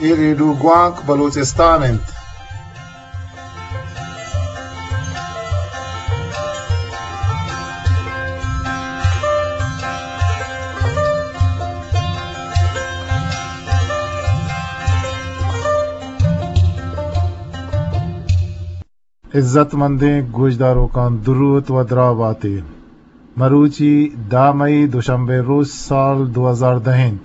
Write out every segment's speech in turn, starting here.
اے ریڈیو گوانک بلوچستان انت۔ عزت مندیں گوشداروکاں، دروت و دراہ باتے۔ مروچی دہ مئی، دوشنبے روچ، سال دو ہزار دہ انت۔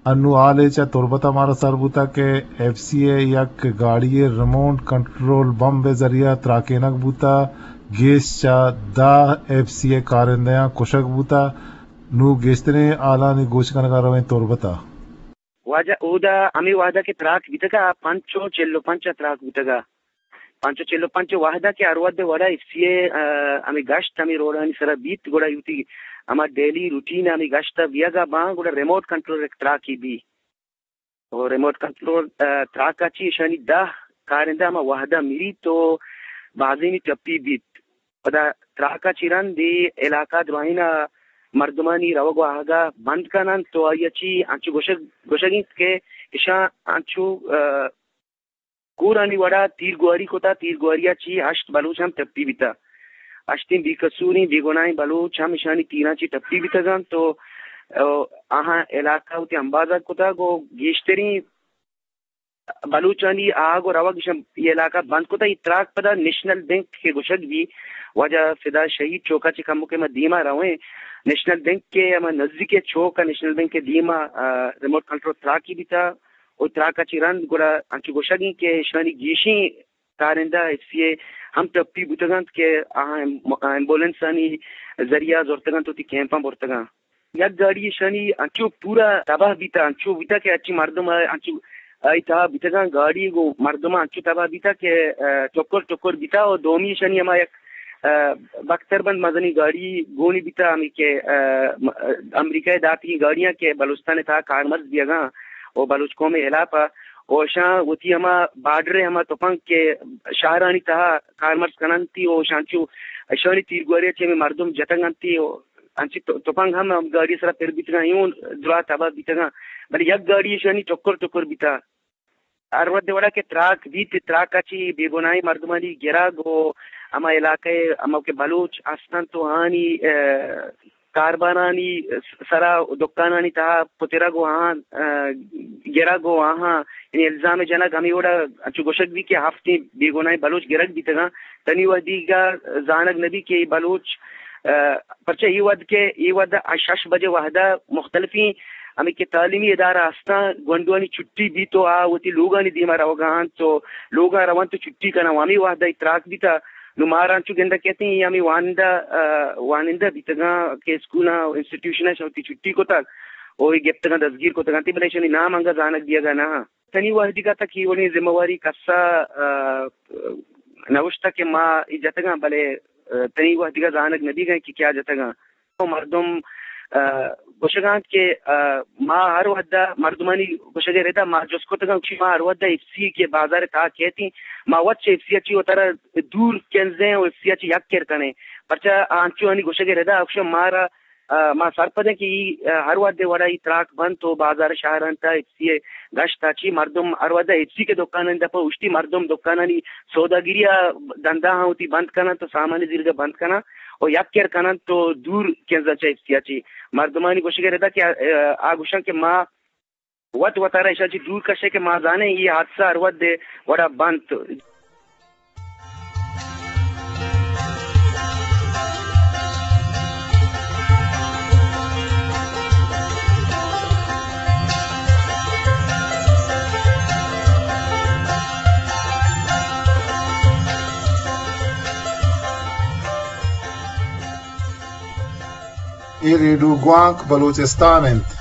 انو حالے چہ تربت ء مارا سر بوتگ کہ ایف سی ء یک گاڑی ء ریموٹ کنٹرول بمب ء ذریعہ تراکینگ بوتگ، گیش چہ دہ ایف سی ء کارندہاں کشگ بوتگ۔ نوں گیشتریں حالانی گوش کنگ ء رویں تربت ء۔ واجہ، اودا ہمے وہدا کہ تراک بیتگ ء، پنچ و چل و پنچ ء تراک بوتگ ء۔ پنچ و چل و پنچ ء وہدا کہ ہر وھد ء وڑا ایف سی ء، آ، ہمے گشت ہمے روڈانی سرا بیت، گڑا وتی ہما ڈیلی روٹین ء ہمے گشت ء بیگ ء باں، گڑا ریموٹ کنٹرول یک تراکے بی۔ و ریموٹ کنٹرول، آ، تراک ء چی ایشانی دہ کارندہ ہما وہدا مریت و بازینی ٹپی بیت۔ پدا تراک ء چی رند اے علاقہ دراہین ء مردمانی روگ و آہگ ء بند کن انت و آئی ء چی انچو گوشگ، گوشگ انت کہ اشاں انچو، آ، کورانی وڑا تیرگواری کتا، تیرگواری ء چی ہشت بلوچ ہم ٹپی بیتا۔ ہشتیں بے قصوریں بے گناہیں بلوچ ہم اشانی تیراں چی ٹپی بیتگ انت و، آ، آہاں علاقہ وتی امبازگ کتگ و گیشتریں بلوچانی آگ و روگ اشاں اے علاقہ بند کتگ۔ اے تراک پدا نیشنل بینک کہ گوشگ بی، واجہ فدا شہید چوکا چہ کمکے ما دیما رویں، نیشنل بینک کے ہما نزدیک چوک ء نیشنل بینک کے دیما، آ، ریموٹ کنٹرول تراکی بیتا و تراک ء چی رند گڑا انچو گوشگ انت کہ اشانی گیشیں کارندہ ایف سی اے ہم ٹپی بوتگ انت کہ آہاں ایم-، ایمبولینسانی ذریعہ زرتگ انت و وتی کیمپاں برتگ انت۔ یک گاڑی ایشانی انچو پورا تباہ بیتا، انچو بیتا کہ ہرچی مردم ء انچو آئی تہا بیتگاں، گاڑی گوں مردم انچو تباہ بیتا کہ، آ، ٹکر ٹکر بیتا و دومی ایشانی ہما یک، آ، بختر بند مزنی گاڑی گونی بیتا، ہمیں کہ، آ، م-، امریکہ ء داتگیں گاڑیاں کہ بلوچستان ء تہا کارمرز بیگاں و بلوچ قوم ء ہلاپ ء و اشاں وتی ہما بارڈر ء ہما تپنگ کہ شہرانی تہا کارمرز کننتی و اشاں چو اشانی تیرگواری ء چہ ہمیں مردم جتگ انتی و انچی تو-، تپنگ ہم ہم گاڑی ء سرا پر بیتگاں، اے اوں دراہ تباہ بیتگاں، بلے یک گاڑی ایشانی ٹکر ٹکر بیتا۔ ہر وھد ء وڑا کہ تراک بیت، تراک ء چی بے گناہیں مردمانی گرگ و ہما علاقہ ء ہما کہ بلوچ ہستنت و آنی، ء، کاربارانی سرا و دکانانی تہا پترگ و آہاں، ء، گرگ و آہاں، یعنی الزام جنگ ہمے وڑا انچو گوشگ بیت کہ ہفتیں بے گناہیں بلوچ گرگ بیتگاں۔ تنی وھدیگا زانگ نہ بیت کہ اے بلوچ، ء، پرچہ اے وھد کہ اے وھد ء شش بجے وھد ء مختلفیں ہمے کہ تعلیمی ادارہ ہستاں، گونڈوانی چھٹی بیت و آ وتی لوگانی دیما روگا انت و لوگا رونت و چھٹی کناں و ہمے وھد ء اے تراک بیتا۔ نوں مارا انچو گندگ کیت ایں اے ہمے وانندہ، ء، وانندہ بیتگاں کہ اسکولاں، انسٹیٹیوشناں اشاں وتی چھٹی کتگ و اے گپتگاں دزگیر کتگ انت، بلے ایشانی نام انگا زانگ بیگا نہ انت۔ تنی وھدیگا تک اے وڑیں ذمہ واری کسا، ء، نہ اوشتگ کہ ما اے جتگاں، بلے، ء، تنی وھدیگا زانگ نہ بیگا کہ کیا جتگاں۔ و مردم، ء، گوشگا انت کہ، ء، ما ہر وھدا مردمانی گوشگ ء ردا ما جست کتگاں، گوشی ما ہر وھدا ایف سی کہ بازار ء تہا کیتیں، ما وت چہ ایف سی ء چی وتارا دور کنزیں و ایف سی ء چی یک کر کنیں، پرچا آ انچو آنی گوشگ ء ردا گوشاں مارا ء، ما سرپدیں کہ ای، ء، ہر وھد ء وڑا ای تراک بنت و بازار شہر انت، ایف سی ء گشت ء چی مردم ہر وھد ء ایف سی کہ دکان انت، پہ اشتی مردم دکانانی سوداگری ء دندا ہاں وتی بند کننت و سامانی زیرگ ء بند کناں و یک کر کننت و دور کنزاں چہ ایف سی ء چی۔ مردمانی گوشگ ء ردا کہ، ء، آ گوشاں کہ ما وت وتارا ایشاں چہ دور کشے کہ ما زانیں اے حادثہ ہر وھد ء وڑا بنت۔ اے ریڈیو گوانک بلوچستان انت۔